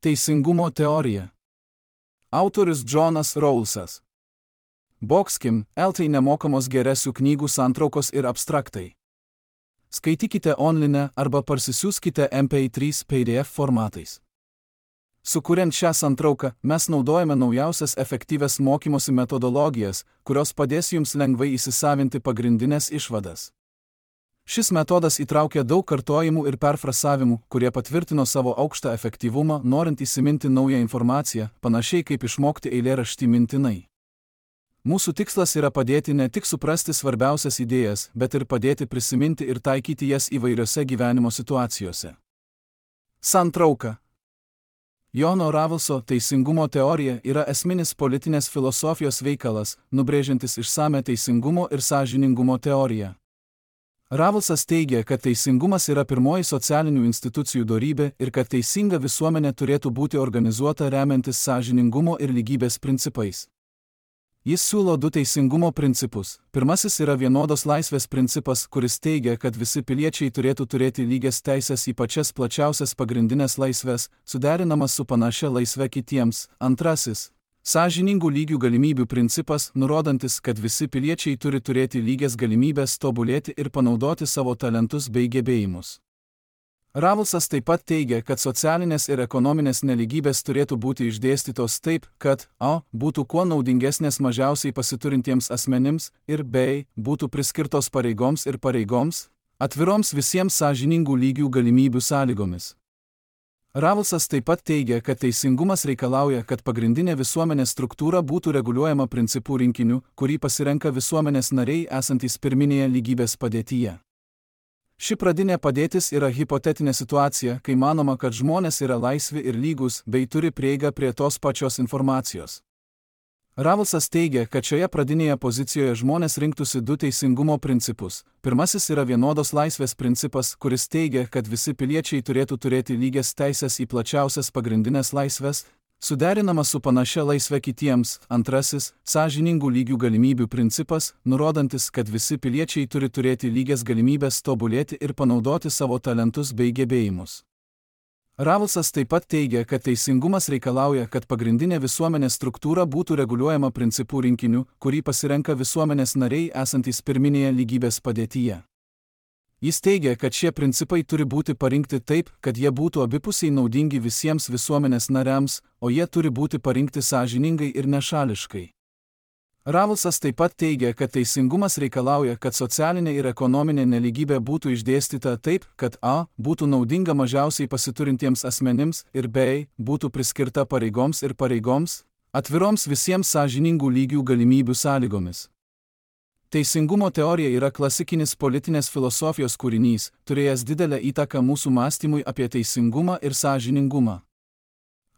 Teisingumo teorija. Autorius Džonas Rawlsas. Boxkim, LT nemokamos geresių knygų santraukos ir abstraktai. Skaitykite online arba parsisiųskite MP3 PDF formatais. Sukuriant šią santrauką, mes naudojame naujausias efektyvias mokymosi metodologijas, kurios padės jums lengvai įsisavinti pagrindinės išvadas. Šis metodas įtraukia daug kartojimų ir perfrasavimų, kurie patvirtino savo aukštą efektyvumą, norint įsiminti naują informaciją, panašiai kaip išmokti eilėraštį mintinai. Mūsų tikslas yra padėti ne tik suprasti svarbiausias idėjas, bet ir padėti prisiminti ir taikyti jas įvairiose gyvenimo situacijose. Santrauka. Jono Rawlso teisingumo teorija yra esminis politinės filosofijos veikalas, nubrėžiantis išsame teisingumo ir sąžiningumo teoriją. Rawlsas teigia, kad teisingumas yra pirmoji socialinių institucijų dorybė ir kad teisinga visuomenė turėtų būti organizuota remiantis sąžiningumo ir lygybės principais. Jis siūlo du teisingumo principus. Pirmasis yra vienodos laisvės principas, kuris teigia, kad visi piliečiai turėtų turėti lygias teisės į pačias plačiausias pagrindinės laisvės, suderinamas su panašia laisve kitiems. Antrasis – sąžiningų lygių galimybių principas, nurodantis, kad visi piliečiai turi turėti lygias galimybės tobulėti ir panaudoti savo talentus bei gebėjimus. Rawlsas taip pat teigia, kad socialinės ir ekonominės nelygybės turėtų būti išdėstytos taip, kad a. būtų kuo naudingesnės mažiausiai pasiturintiems asmenims ir b. būtų priskirtos pareigoms ir pareigoms, atviroms visiems sąžiningų lygių galimybių sąlygomis. Rawlsas taip pat teigia, kad teisingumas reikalauja, kad pagrindinė visuomenės struktūra būtų reguliuojama principų rinkiniu, kurį pasirenka visuomenės nariai esantys pirminėje lygybės padėtyje. Ši pradinė padėtis yra hipotetinė situacija, kai manoma, kad žmonės yra laisvi ir lygūs bei turi prieigą prie tos pačios informacijos. Rawlsas teigia, kad šioje pradinėje pozicijoje žmonės rinktųsi du teisingumo principus. Pirmasis yra vienodos laisvės principas, kuris teigia, kad visi piliečiai turėtų turėti lygias teisės į plačiausias pagrindinės laisvės, suderinamas su panašia laisve kitiems. Antrasis – sąžiningų lygių galimybių principas, nurodantis, kad visi piliečiai turi turėti lygias galimybės tobulėti ir panaudoti savo talentus bei gebėjimus. Rawlsas taip pat teigia, kad teisingumas reikalauja, kad pagrindinė visuomenės struktūra būtų reguliuojama principų rinkiniu, kurį pasirenka visuomenės nariai esantys pirminėje lygybės padėtyje. Jis teigia, kad šie principai turi būti parinkti taip, kad jie būtų abipusiai naudingi visiems visuomenės nariams, o jie turi būti parinkti sąžiningai ir nešališkai. Rawlsas taip pat teigia, kad teisingumas reikalauja, kad socialinė ir ekonominė nelygybė būtų išdėstyta taip, kad a. būtų naudinga mažiausiai pasiturintiems asmenims ir b. būtų priskirta pareigoms ir pareigoms, atviroms visiems sąžiningų lygių galimybių sąlygomis. Teisingumo teorija yra klasikinis politinės filosofijos kūrinys, turėjęs didelę įtaką mūsų mąstymui apie teisingumą ir sąžiningumą.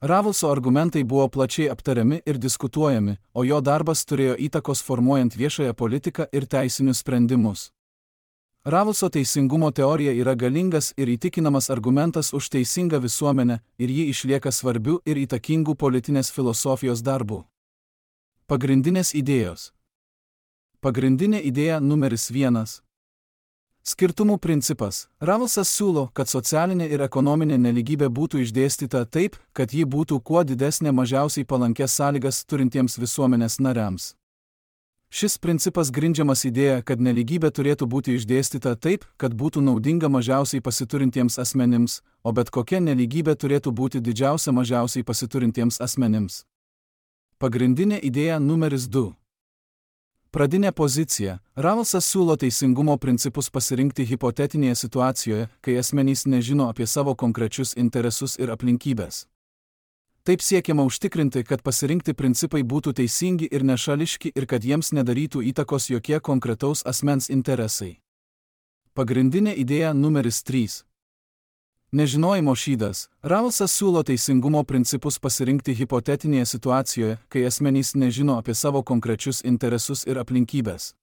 Rawlso argumentai buvo plačiai aptariami ir diskutuojami, o jo darbas turėjo įtakos formuojant viešąją politiką ir teisinius sprendimus. Rawlso teisingumo teorija yra galingas ir įtikinamas argumentas už teisingą visuomenę ir ji išlieka svarbiu ir įtakingu politinės filosofijos darbu. Pagrindinės idėjos. Pagrindinė idėja numeris 1. Skirtumų principas. Rawlsas siūlo, kad socialinė ir ekonominė nelygybė būtų išdėstyta taip, kad ji būtų kuo didesnė mažiausiai palankės sąlygas turintiems visuomenės nariams. Šis principas grindžiamas idėja, kad nelygybė turėtų būti išdėstyta taip, kad būtų naudinga mažiausiai pasiturintiems asmenims, o bet kokia nelygybė turėtų būti didžiausia mažiausiai pasiturintiems asmenims. Pagrindinė idėja numeris 2. Pradinė pozicija. Rawlsas siūlo teisingumo principus pasirinkti hipotetinėje situacijoje, kai asmenys nežino apie savo konkrečius interesus ir aplinkybės. Taip siekiama užtikrinti, kad pasirinkti principai būtų teisingi ir nešališki ir kad jiems nedarytų įtakos jokie konkretaus asmens interesai. Pagrindinė idėja numeris 3. Nežinojimo šydas. Rawlsas siūlo teisingumo principus pasirinkti hipotetinėje situacijoje, kai asmenys nežino apie savo konkrečius interesus ir aplinkybės.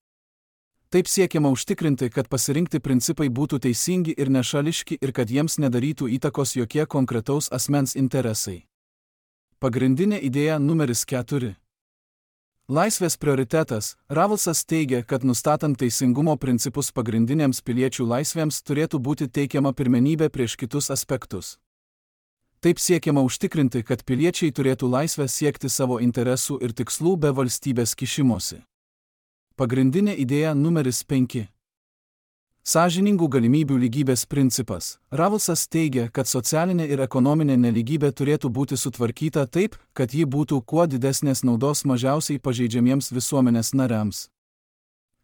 Taip siekiama užtikrinti, kad pasirinkti principai būtų teisingi ir nešališki ir kad jiems nedarytų įtakos jokie konkretaus asmens interesai. Pagrindinė idėja numeris 4. Laisvės prioritetas. Rawlsas teigia, kad nustatant teisingumo principus pagrindinėms piliečių laisvėms turėtų būti teikiama pirmenybė prieš kitus aspektus. Taip siekiama užtikrinti, kad piliečiai turėtų laisvę siekti savo interesų ir tikslų be valstybės kišimosi. Pagrindinė idėja numeris 5. Sąžiningų galimybių lygybės principas. Ravelsas teigia, kad socialinė ir ekonominė nelygybė turėtų būti sutvarkyta taip, kad ji būtų kuo didesnės naudos mažiausiai pažeidžiamiems visuomenės nariams.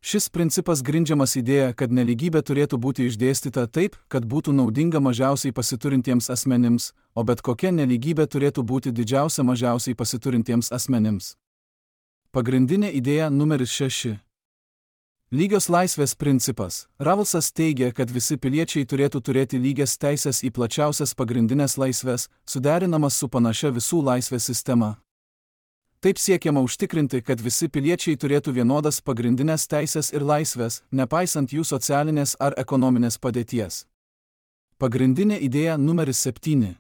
Šis principas grindžiamas idėja, kad nelygybė turėtų būti išdėstyta taip, kad būtų naudinga mažiausiai pasiturintiems asmenims, o bet kokia nelygybė turėtų būti didžiausia mažiausiai pasiturintiems asmenims. Pagrindinė idėja numeris 6. Lygios laisvės principas. Ravelsas teigia, kad visi piliečiai turėtų turėti lygias teisės į plačiausias pagrindinės laisvės, suderinamas su panašia visų laisvės sistema. Taip siekiama užtikrinti, kad visi piliečiai turėtų vienodas pagrindinės teisės ir laisvės, nepaisant jų socialinės ar ekonominės padėties. Pagrindinė idėja numeris 7.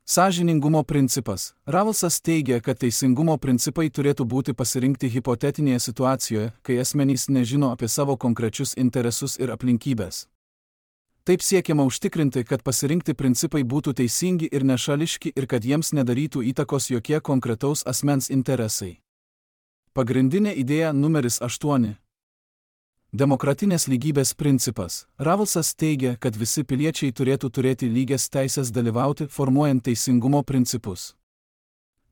Sąžiningumo principas. Ravelsas teigia, kad teisingumo principai turėtų būti pasirinkti hipotetinėje situacijoje, kai asmenys nežino apie savo konkrečius interesus ir aplinkybės. Taip siekiama užtikrinti, kad pasirinkti principai būtų teisingi ir nešališki ir kad jiems nedarytų įtakos jokie konkretaus asmens interesai. Pagrindinė idėja numeris 8. Demokratinės lygybės principas. Ravelsas teigia, kad visi piliečiai turėtų turėti lygias teisės dalyvauti, formuojant teisingumo principus.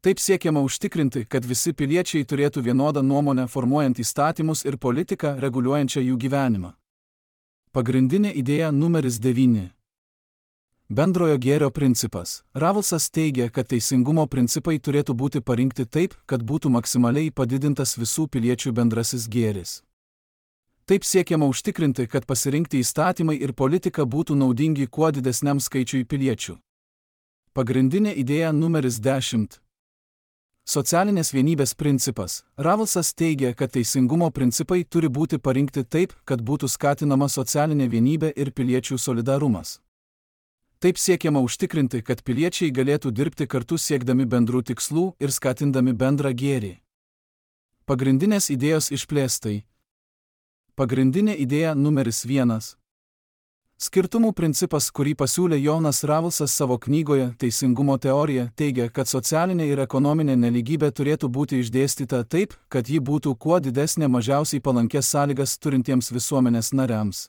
Taip siekiama užtikrinti, kad visi piliečiai turėtų vienodą nuomonę formuojant įstatymus ir politiką reguliuojančią jų gyvenimą. Pagrindinė idėja numeris 9. Bendrojo gėrio principas. Ravelsas teigia, kad teisingumo principai turėtų būti parinkti taip, kad būtų maksimaliai padidintas visų piliečių bendrasis gėris. Taip siekiama užtikrinti, kad pasirinkti įstatymai ir politika būtų naudingi kuo didesniam skaičiui piliečių. Pagrindinė idėja numeris 10. Socialinės vienybės principas. Ravelsas teigia, kad teisingumo principai turi būti parinkti taip, kad būtų skatinama socialinė vienybė ir piliečių solidarumas. Taip siekiama užtikrinti, kad piliečiai galėtų dirbti kartu siekdami bendrų tikslų ir skatindami bendrą gėrį. Pagrindinės idėjos išplėstai. Pagrindinė idėja numeris 1. Skirtumų principas, kurį pasiūlė Jonas Ravelsas savo knygoje Teisingumo teorija, teigia, kad socialinė ir ekonominė nelygybė turėtų būti išdėstyta taip, kad ji būtų kuo didesnė mažiausiai palankės sąlygas turintiems visuomenės nariams.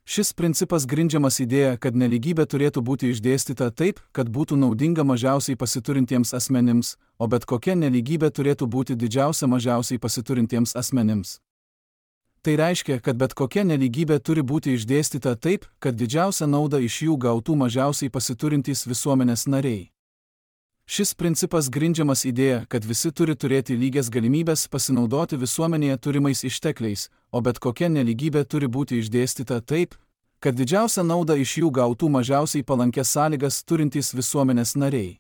Šis principas grindžiamas idėja, kad nelygybė turėtų būti išdėstyta taip, kad būtų naudinga mažiausiai pasiturintiems asmenims, o bet kokia nelygybė turėtų būti didžiausia mažiausiai pasiturintiems asmenims. Tai reiškia, kad bet kokia nelygybė turi būti išdėstyta taip, kad didžiausią naudą iš jų gautų mažiausiai pasiturintys visuomenės nariai. Šis principas grindžiamas idėja, kad visi turi turėti lygias galimybės pasinaudoti visuomenėje turimais ištekliais, o bet kokia nelygybė turi būti išdėstyta taip, kad didžiausią naudą iš jų gautų mažiausiai palankės sąlygas turintys visuomenės nariai.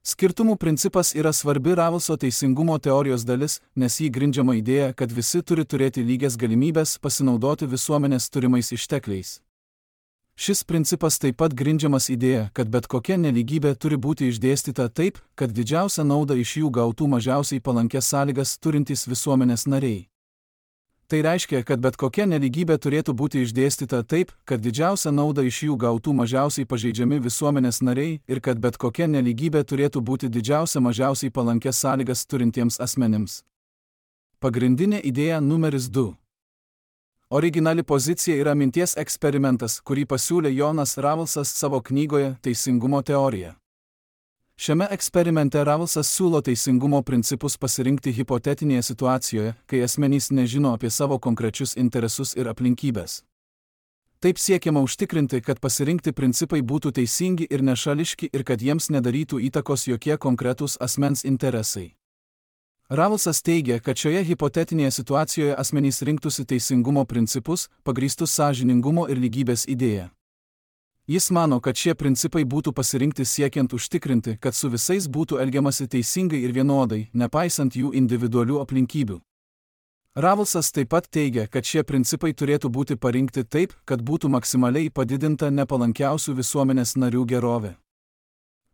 Skirtumų principas yra svarbi Ravelso teisingumo teorijos dalis, nes jį grindžiama idėja, kad visi turi turėti lygias galimybės pasinaudoti visuomenės turimais ištekliais. Šis principas taip pat grindžiamas idėja, kad bet kokia nelygybė turi būti išdėstyta taip, kad didžiausią naudą iš jų gautų mažiausiai palankės sąlygas turintys visuomenės nariai. Tai reiškia, kad bet kokia nelygybė turėtų būti išdėstyta taip, kad didžiausią naudą iš jų gautų mažiausiai pažeidžiami visuomenės nariai ir kad bet kokia nelygybė turėtų būti didžiausia mažiausiai palankės sąlygas turintiems asmenims. Pagrindinė idėja numeris 2. Originali pozicija yra minties eksperimentas, kurį pasiūlė Jonas Ravelsas savo knygoje Teisingumo teorija. Šiame eksperimente Ravelsas siūlo teisingumo principus pasirinkti hipotetinėje situacijoje, kai asmenys nežino apie savo konkrečius interesus ir aplinkybės. Taip siekiama užtikrinti, kad pasirinkti principai būtų teisingi ir nešališki ir kad jiems nedarytų įtakos jokie konkretūs asmens interesai. Ravelsas teigia, kad šioje hipotetinėje situacijoje asmenys rinktųsi teisingumo principus, pagrįstus sąžiningumo ir lygybės idėja. Jis mano, kad šie principai būtų pasirinkti siekiant užtikrinti, kad su visais būtų elgiamasi teisingai ir vienodai, nepaisant jų individualių aplinkybių. Ravelsas taip pat teigia, kad šie principai turėtų būti parinkti taip, kad būtų maksimaliai padidinta nepalankiausių visuomenės narių gerovė.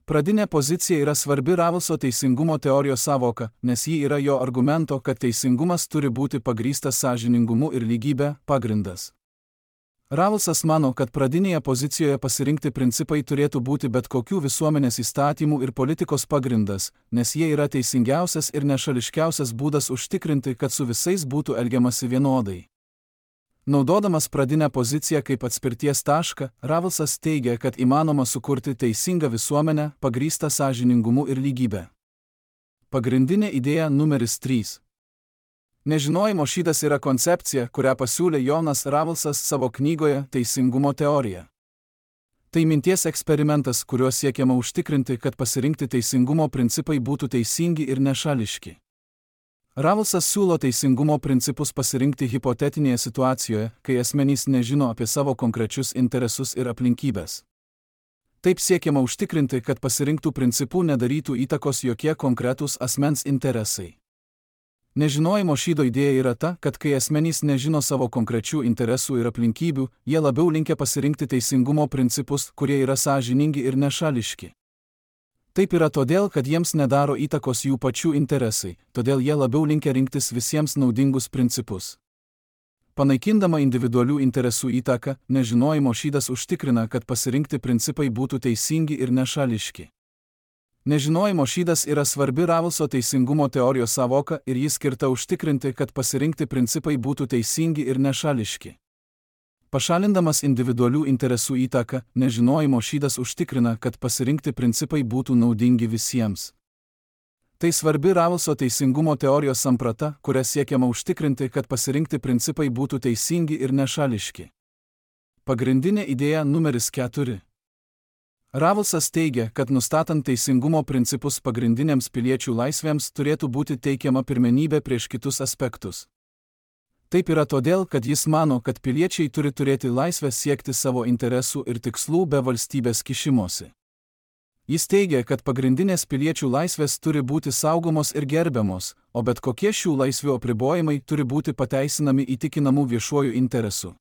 Pradinė pozicija yra svarbi Ravelso teisingumo teorijos sąvoka, nes ji yra jo argumento, kad teisingumas turi būti pagrįstas sąžiningumu ir lygybė, pagrindas. Ravelsas mano, kad pradinėje pozicijoje pasirinkti principai turėtų būti bet kokių visuomenės įstatymų ir politikos pagrindas, nes jie yra teisingiausias ir nešališkiausias būdas užtikrinti, kad su visais būtų elgiamasi vienodai. Naudodamas pradinę poziciją kaip atspirties tašką, Ravelsas teigia, kad įmanoma sukurti teisingą visuomenę, pagrįstą sąžiningumu ir lygybę. Pagrindinė idėja numeris 3. Nežinojimo šydas yra koncepcija, kurią pasiūlė Jonas Ravelsas savo knygoje Teisingumo teorija. Tai minties eksperimentas, kuriuo siekiama užtikrinti, kad pasirinkti teisingumo principai būtų teisingi ir nešališki. Ravelsas siūlo teisingumo principus pasirinkti hipotetinėje situacijoje, kai asmenys nežino apie savo konkrečius interesus ir aplinkybės. Taip siekiama užtikrinti, kad pasirinktų principų nedarytų įtakos jokie konkretūs asmens interesai. Nežinojimo šydo idėja yra ta, kad kai asmenys nežino savo konkrečių interesų ir aplinkybių, jie labiau linkę pasirinkti teisingumo principus, kurie yra sąžiningi ir nešališki. Taip yra todėl, kad jiems nedaro įtakos jų pačių interesai, todėl jie labiau linkę rinktis visiems naudingus principus. Panaikindama individualių interesų įtaką, nežinojimo šydas užtikrina, kad pasirinkti principai būtų teisingi ir nešališki. Nežinojimo šydas yra svarbi Ravelso teisingumo teorijos sąvoka ir jis skirta užtikrinti, kad pasirinkti principai būtų teisingi ir nešališki. Pašalindamas individualių interesų įtaką, nežinojimo šydas užtikrina, kad pasirinkti principai būtų naudingi visiems. Tai svarbi Ravelso teisingumo teorijos samprata, kuria siekiama užtikrinti, kad pasirinkti principai būtų teisingi ir nešališki. Pagrindinė idėja numeris 4. Ravelsas teigia, kad nustatant teisingumo principus pagrindinėms piliečių laisvėms turėtų būti teikiama pirmenybė prieš kitus aspektus. Taip yra todėl, kad jis mano, kad piliečiai turi turėti laisvę siekti savo interesų ir tikslų be valstybės kišimosi. Jis teigia, kad pagrindinės piliečių laisvės turi būti saugomos ir gerbiamos, o bet kokie šių laisvių apribojimai turi būti pateisinami įtikinamų viešuoju interesu.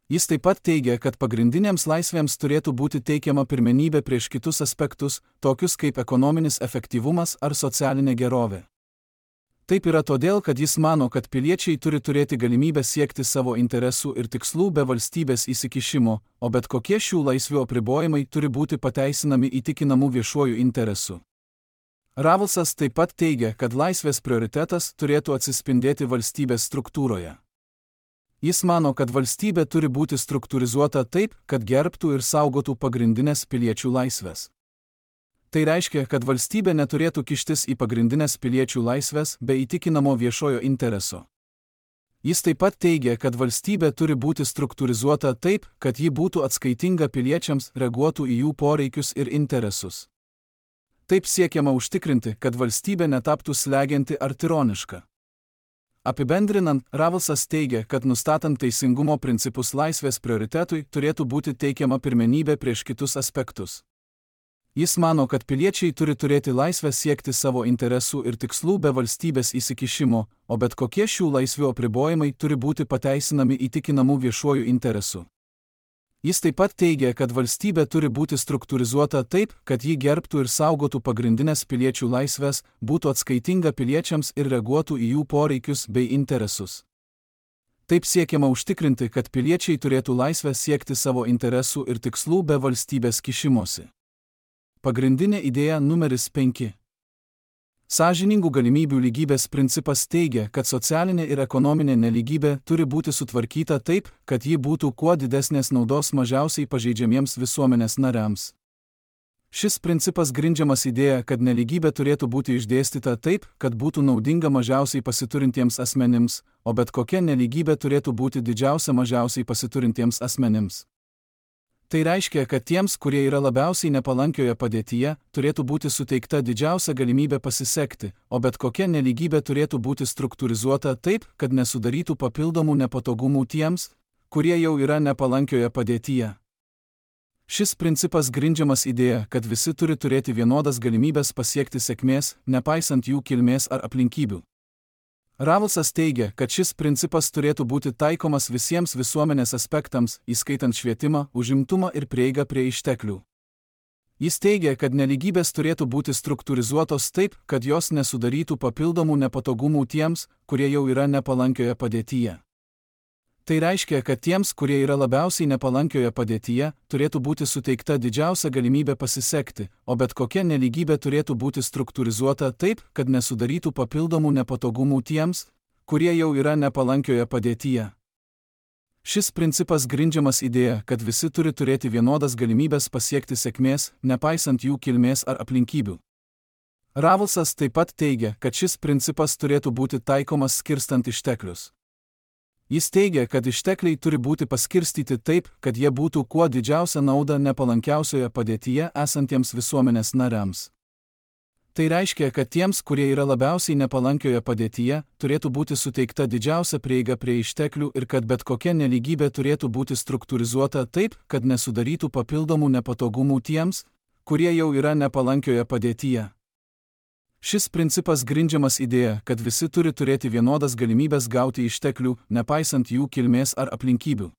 Jis taip pat teigia, kad pagrindinėms laisvėms turėtų būti teikiama pirmenybė prieš kitus aspektus, tokius kaip ekonominis efektyvumas ar socialinė gerovė. Taip yra todėl, kad jis mano, kad piliečiai turi turėti galimybę siekti savo interesų ir tikslų be valstybės įsikišimo, o bet kokie šių laisvių apribojimai turi būti pateisinami įtikinamų viešuoju interesu. Ravelsas taip pat teigia, kad laisvės prioritetas turėtų atsispindėti valstybės struktūroje. Jis mano, kad valstybė turi būti struktūrizuota taip, kad gerbtų ir saugotų pagrindinės piliečių laisvės. Tai reiškia, kad valstybė neturėtų kištis į pagrindinės piliečių laisvės be įtikinamo viešojo intereso. Jis taip pat teigia, kad valstybė turi būti struktūrizuota taip, kad ji būtų atskaitinga piliečiams, reaguotų į jų poreikius ir interesus. Taip siekiama užtikrinti, kad valstybė netaptų slegianti ar tironiška. Apibendrinant, Ravelsas teigia, kad nustatant teisingumo principus laisvės prioritetui turėtų būti teikiama pirmenybė prieš kitus aspektus. Jis mano, kad piliečiai turi turėti laisvę siekti savo interesų ir tikslų be valstybės įsikišimo, o bet kokie šių laisvių apribojimai turi būti pateisinami įtikinamų viešuoju interesu. Jis taip pat teigia, kad valstybė turi būti struktūrizuota taip, kad ji gerbtų ir saugotų pagrindinės piliečių laisvės, būtų atskaitinga piliečiams ir reaguotų į jų poreikius bei interesus. Taip siekiama užtikrinti, kad piliečiai turėtų laisvę siekti savo interesų ir tikslų be valstybės kišimosi. Pagrindinė idėja numeris 5. Sąžiningų galimybių lygybės principas teigia, kad socialinė ir ekonominė nelygybė turi būti sutvarkyta taip, kad ji būtų kuo didesnės naudos mažiausiai pažeidžiamiems visuomenės nariams. Šis principas grindžiamas idėja, kad nelygybė turėtų būti išdėstyta taip, kad būtų naudinga mažiausiai pasiturintiems asmenims, o bet kokia nelygybė turėtų būti didžiausia mažiausiai pasiturintiems asmenims. Tai reiškia, kad tiems, kurie yra labiausiai nepalankioje padėtyje, turėtų būti suteikta didžiausia galimybė pasisekti, o bet kokia nelygybė turėtų būti struktūrizuota taip, kad nesudarytų papildomų nepatogumų tiems, kurie jau yra nepalankioje padėtyje. Šis principas grindžiamas idėja, kad visi turi turėti vienodas galimybės pasiekti sėkmės, nepaisant jų kilmės ar aplinkybių. Ravelsas teigia, kad šis principas turėtų būti taikomas visiems visuomenės aspektams, įskaitant švietimą, užimtumą ir prieigą prie išteklių. Jis teigia, kad nelygybės turėtų būti struktūrizuotos taip, kad jos nesudarytų papildomų nepatogumų tiems, kurie jau yra nepalankioje padėtyje. Tai reiškia, kad tiems, kurie yra labiausiai nepalankioje padėtyje, turėtų būti suteikta didžiausia galimybė pasisekti, o bet kokia nelygybė turėtų būti struktūrizuota taip, kad nesudarytų papildomų nepatogumų tiems, kurie jau yra nepalankioje padėtyje. Šis principas grindžiamas idėja, kad visi turi turėti vienodas galimybės pasiekti sėkmės, nepaisant jų kilmės ar aplinkybių. Ravelsas taip pat teigia, kad šis principas turėtų būti taikomas skirstant išteklius. Jis teigia, kad ištekliai turi būti paskirstyti taip, kad jie būtų kuo didžiausia nauda nepalankiausioje padėtyje esantiems visuomenės nariams. Tai reiškia, kad tiems, kurie yra labiausiai nepalankioje padėtyje, turėtų būti suteikta didžiausia prieiga prie išteklių ir kad bet kokia nelygybė turėtų būti struktūrizuota taip, kad nesudarytų papildomų nepatogumų tiems, kurie jau yra nepalankioje padėtyje. Šis principas grindžiamas idėja, kad visi turi turėti vienodas galimybės gauti išteklių, nepaisant jų kilmės ar aplinkybių.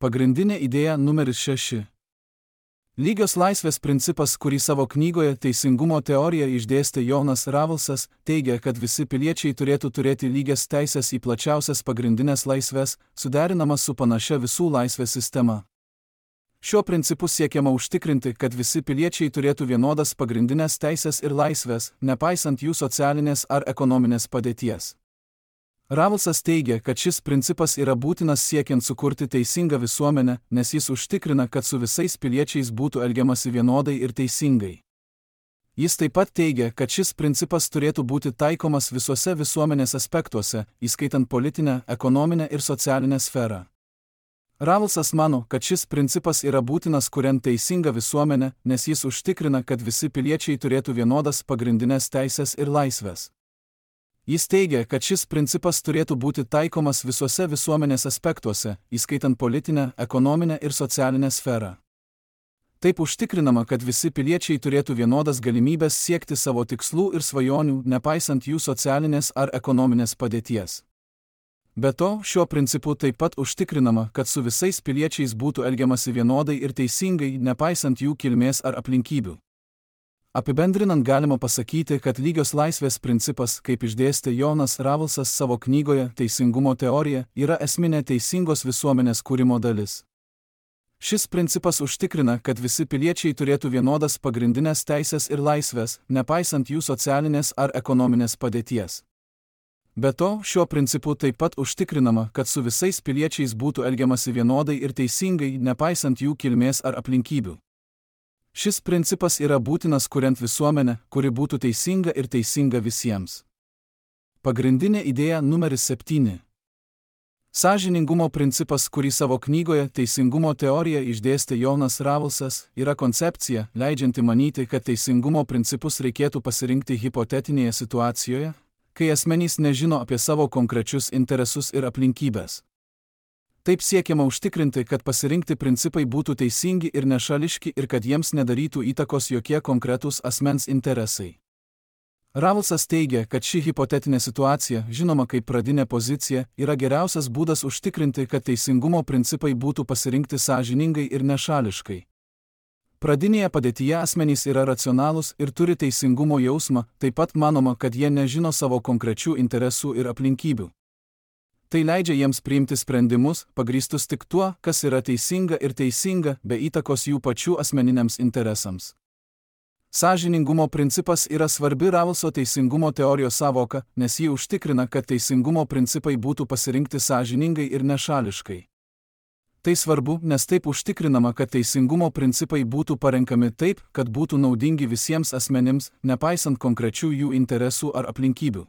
Pagrindinė idėja numeris 6. Lygios laisvės principas, kurį savo knygoje Teisingumo teorija išdėstė Jonas Ravelsas, teigia, kad visi piliečiai turėtų turėti lygias teisės į plačiausias pagrindinės laisvės, suderinamas su panašia visų laisvės sistema. Šiuo principu siekiama užtikrinti, kad visi piliečiai turėtų vienodas pagrindinės teisės ir laisvės, nepaisant jų socialinės ar ekonominės padėties. Ravelsas teigia, kad šis principas yra būtinas siekiant sukurti teisingą visuomenę, nes jis užtikrina, kad su visais piliečiais būtų elgiamasi vienodai ir teisingai. Jis taip pat teigia, kad šis principas turėtų būti taikomas visuose visuomenės aspektuose, įskaitant politinę, ekonominę ir socialinę sferą. Ravelsas mano, kad šis principas yra būtinas kuriant teisingą visuomenę, nes jis užtikrina, kad visi piliečiai turėtų vienodas pagrindinės teisės ir laisvės. Jis teigia, kad šis principas turėtų būti taikomas visuose visuomenės aspektuose, įskaitant politinę, ekonominę ir socialinę sferą. Taip užtikrinama, kad visi piliečiai turėtų vienodas galimybės siekti savo tikslų ir svajonių, nepaisant jų socialinės ar ekonominės padėties. Be to, šiuo principu taip pat užtikrinama, kad su visais piliečiais būtų elgiamasi vienodai ir teisingai, nepaisant jų kilmės ar aplinkybių. Apibendrinant galima pasakyti, kad lygios laisvės principas, kaip išdėstė Jonas Ravelsas savo knygoje Teisingumo teorija, yra esminė teisingos visuomenės kūrimo dalis. Šis principas užtikrina, kad visi piliečiai turėtų vienodas pagrindinės teisės ir laisvės, nepaisant jų socialinės ar ekonominės padėties. Be to, šiuo principu taip pat užtikrinama, kad su visais piliečiais būtų elgiamasi vienodai ir teisingai, nepaisant jų kilmės ar aplinkybių. Šis principas yra būtinas kuriant visuomenę, kuri būtų teisinga ir teisinga visiems. Pagrindinė idėja numeris 7. Sąžiningumo principas, kurį savo knygoje Teisingumo teorija išdėstė Jonas Ravelsas, yra koncepcija, leidžianti manyti, kad teisingumo principus reikėtų pasirinkti hipotetinėje situacijoje, kai asmenys nežino apie savo konkrečius interesus ir aplinkybės. Taip siekiama užtikrinti, kad pasirinkti principai būtų teisingi ir nešališki ir kad jiems nedarytų įtakos jokie konkretūs asmens interesai. Ravelsas teigia, kad ši hipotetinė situacija, žinoma kaip pradinė pozicija, yra geriausias būdas užtikrinti, kad teisingumo principai būtų pasirinkti sąžiningai ir nešališkai. Pradinėje padėtyje asmenys yra racionalūs ir turi teisingumo jausmą, taip pat manoma, kad jie nežino savo konkrečių interesų ir aplinkybių. Tai leidžia jiems priimti sprendimus, pagrįstus tik tuo, kas yra teisinga ir teisinga, be įtakos jų pačių asmeniniams interesams. Sąžiningumo principas yra svarbi Ravelso teisingumo teorijos sąvoka, nes ji užtikrina, kad teisingumo principai būtų pasirinkti sąžiningai ir nešališkai. Tai svarbu, nes taip užtikrinama, kad teisingumo principai būtų parenkami taip, kad būtų naudingi visiems asmenims, nepaisant konkrečių jų interesų ar aplinkybių.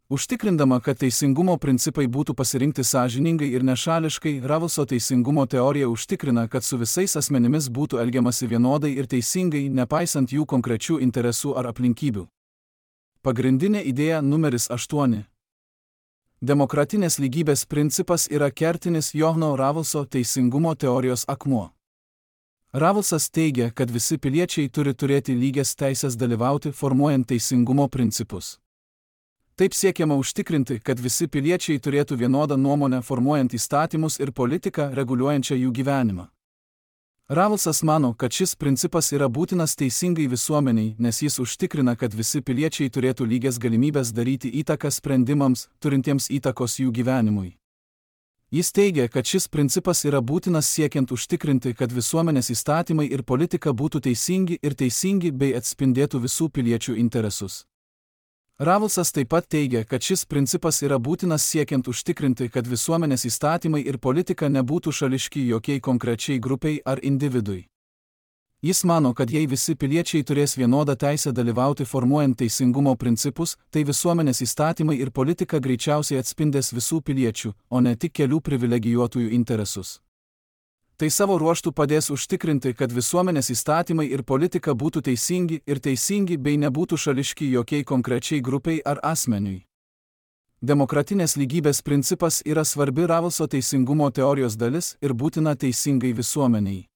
Užtikrindama, kad teisingumo principai būtų pasirinkti sąžiningai ir nešališkai, Ravelso teisingumo teorija užtikrina, kad su visais asmenimis būtų elgiamasi vienodai ir teisingai, nepaisant jų konkrečių interesų ar aplinkybių. Pagrindinė idėja numeris 8. Demokratinės lygybės principas yra kertinis Johno Ravelso teisingumo teorijos akmuo. Ravelsas teigia, kad visi piliečiai turi turėti lygias teisės dalyvauti formuojant teisingumo principus. Taip siekiama užtikrinti, kad visi piliečiai turėtų vienodą nuomonę formuojant įstatymus ir politiką reguliuojančią jų gyvenimą. Ravelsas mano, kad šis principas yra būtinas teisingai visuomeniai, nes jis užtikrina, kad visi piliečiai turėtų lygias galimybės daryti įtaką sprendimams, turintiems įtakos jų gyvenimui. Jis teigia, kad šis principas yra būtinas siekiant užtikrinti, kad visuomenės įstatymai ir politika būtų teisingi bei atspindėtų visų piliečių interesus. Ravelsas taip pat teigia, kad šis principas yra būtinas siekiant užtikrinti, kad visuomenės įstatymai ir politika nebūtų šališki jokiai konkrečiai grupiai ar individui. Jis mano, kad jei visi piliečiai turės vienodą teisę dalyvauti formuojant teisingumo principus, tai visuomenės įstatymai ir politika greičiausiai atspindės visų piliečių, o ne tik kelių privilegijuotųjų interesus. Tai savo ruožtu padės užtikrinti, kad visuomenės įstatymai ir politika būtų teisingi bei nebūtų šališki jokiai konkrečiai grupiai ar asmeniui. Demokratinės lygybės principas yra svarbi Ravelso teisingumo teorijos dalis ir būtina teisingai visuomeniai.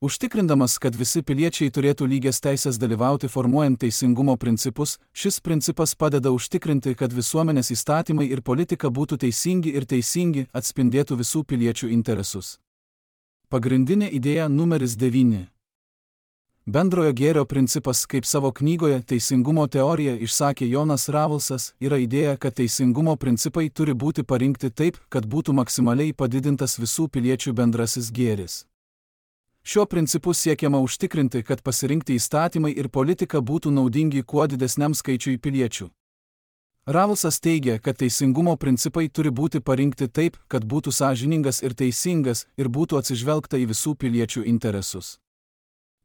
Užtikrindamas, kad visi piliečiai turėtų lygias teisės dalyvauti formuojant teisingumo principus, šis principas padeda užtikrinti, kad visuomenės įstatymai ir politika būtų teisingi, atspindėtų visų piliečių interesus. Pagrindinė idėja numeris 9. Bendrojo gėrio principas, kaip savo knygoje Teisingumo teorija išsakė Jonas Ravelsas, yra idėja, kad teisingumo principai turi būti parinkti taip, kad būtų maksimaliai padidintas visų piliečių bendrasis gėris. Šiuo principu siekiama užtikrinti, kad pasirinkti įstatymai ir politika būtų naudingi kuo didesniam skaičiui piliečių. Ravelsas teigia, kad teisingumo principai turi būti parinkti taip, kad būtų sąžiningas ir teisingas ir būtų atsižvelgta į visų piliečių interesus.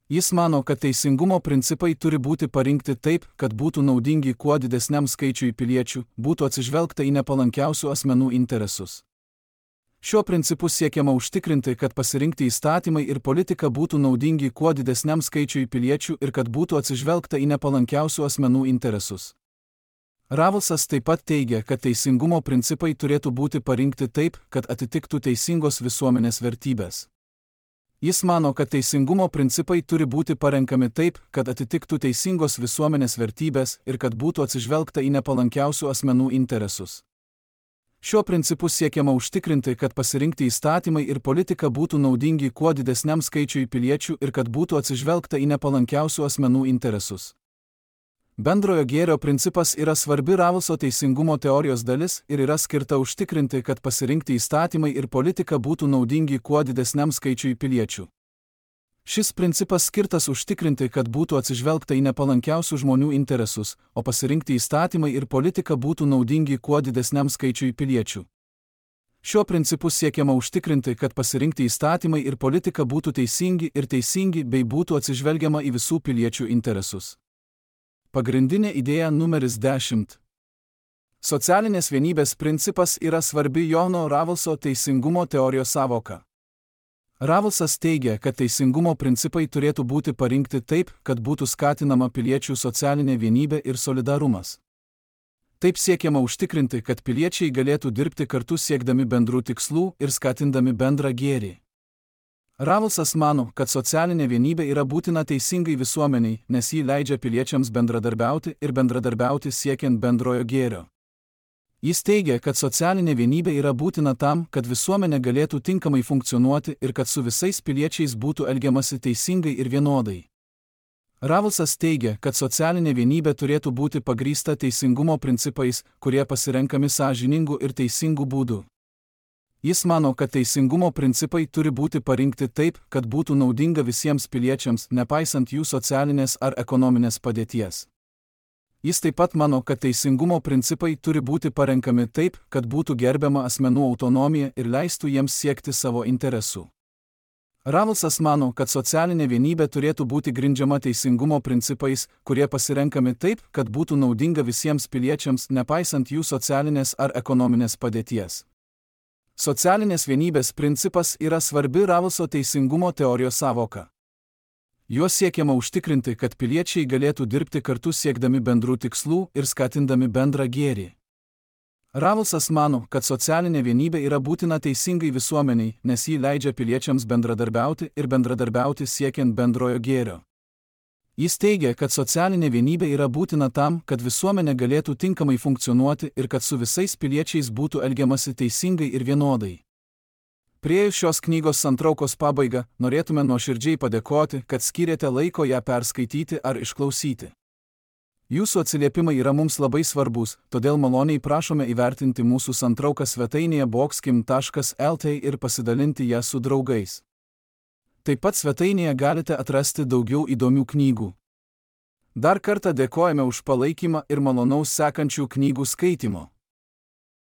Jis mano, kad teisingumo principai turi būti parinkti taip, kad būtų naudingi kuo didesniam skaičiui piliečių, būtų atsižvelgta į nepalankiausių asmenų interesus. Šiuo principu siekiama užtikrinti, kad pasirinkti įstatymai ir politika būtų naudingi kuo didesniam skaičiui piliečių ir kad būtų atsižvelgta į nepalankiausių asmenų interesus. Ravelsas taip pat teigia, kad teisingumo principai turėtų būti parinkti taip, kad atitiktų teisingos visuomenės vertybės. Jis mano, kad teisingumo principai turi būti parenkami taip, kad atitiktų teisingos visuomenės vertybės ir kad būtų atsižvelgta į nepalankiausių asmenų interesus. Šiuo principu siekiama užtikrinti, kad pasirinkti įstatymai ir politika būtų naudingi kuo didesniam skaičiui piliečių ir kad būtų atsižvelgta į nepalankiausių asmenų interesus. Bendrojo gėrio principas yra svarbi Ravelso teisingumo teorijos dalis ir yra skirta užtikrinti, kad pasirinkti įstatymai ir politika būtų naudingi kuo didesniam skaičiui piliečių. Šis principas skirtas užtikrinti, kad būtų atsižvelgta į nepalankiausių žmonių interesus, o pasirinkti įstatymai ir politika būtų naudingi kuo didesniam skaičiui piliečių. Šiuo principu siekiama užtikrinti, kad pasirinkti įstatymai ir politika būtų teisingi bei būtų atsižvelgiama į visų piliečių interesus. Pagrindinė idėja numeris 10. Socialinės vienybės principas yra svarbi Jono Ravelso teisingumo teorijos sąvoka. Ravelsas teigia, kad teisingumo principai turėtų būti parinkti taip, kad būtų skatinama piliečių socialinė vienybė ir solidarumas. Taip siekiama užtikrinti, kad piliečiai galėtų dirbti kartu siekdami bendrų tikslų ir skatindami bendrą gėrį. Ravelsas mano, kad socialinė vienybė yra būtina teisingai visuomeniai, nes ji leidžia piliečiams bendradarbiauti siekiant bendrojo gėrio. Jis teigia, kad socialinė vienybė yra būtina tam, kad visuomenė galėtų tinkamai funkcionuoti ir kad su visais piliečiais būtų elgiamasi teisingai ir vienodai. Ravelsas teigia, kad socialinė vienybė turėtų būti pagrįsta teisingumo principais, kurie pasirenkami sąžiningu ir teisingu būdu. Jis mano, kad teisingumo principai turi būti parinkti taip, kad būtų naudinga visiems piliečiams, nepaisant jų socialinės ar ekonominės padėties. Jis taip pat mano, kad teisingumo principai turi būti parenkami taip, kad būtų gerbiama asmenų autonomija ir leistų jiems siekti savo interesų. Ravelsas mano, kad socialinė vienybė turėtų būti grindžiama teisingumo principais, kurie pasirenkami taip, kad būtų naudinga visiems piliečiams, nepaisant jų socialinės ar ekonominės padėties. Socialinės vienybės principas yra svarbi Ravelso teisingumo teorijos sąvoka. Juo siekiama užtikrinti, kad piliečiai galėtų dirbti kartu siekdami bendrų tikslų ir skatindami bendrą gėrį. Ravelsas mano, kad socialinė vienybė yra būtina teisingai visuomeniai, nes ji leidžia piliečiams bendradarbiauti siekiant bendrojo gėrio. Jis teigia, kad socialinė vienybė yra būtina tam, kad visuomenė galėtų tinkamai funkcionuoti ir kad su visais piliečiais būtų elgiamasi teisingai ir vienodai. Priėjus šios knygos santraukos pabaigą, norėtume nuoširdžiai padėkoti, kad skyrėte laiko ją perskaityti ar išklausyti. Jūsų atsiliepimai yra mums labai svarbus, todėl maloniai prašome įvertinti mūsų santrauką svetainėje boxkim.lt ir pasidalinti ją su draugais. Taip pat svetainėje galite atrasti daugiau įdomių knygų. Dar kartą dėkojame už palaikymą ir malonaus sekančių knygų skaitymo.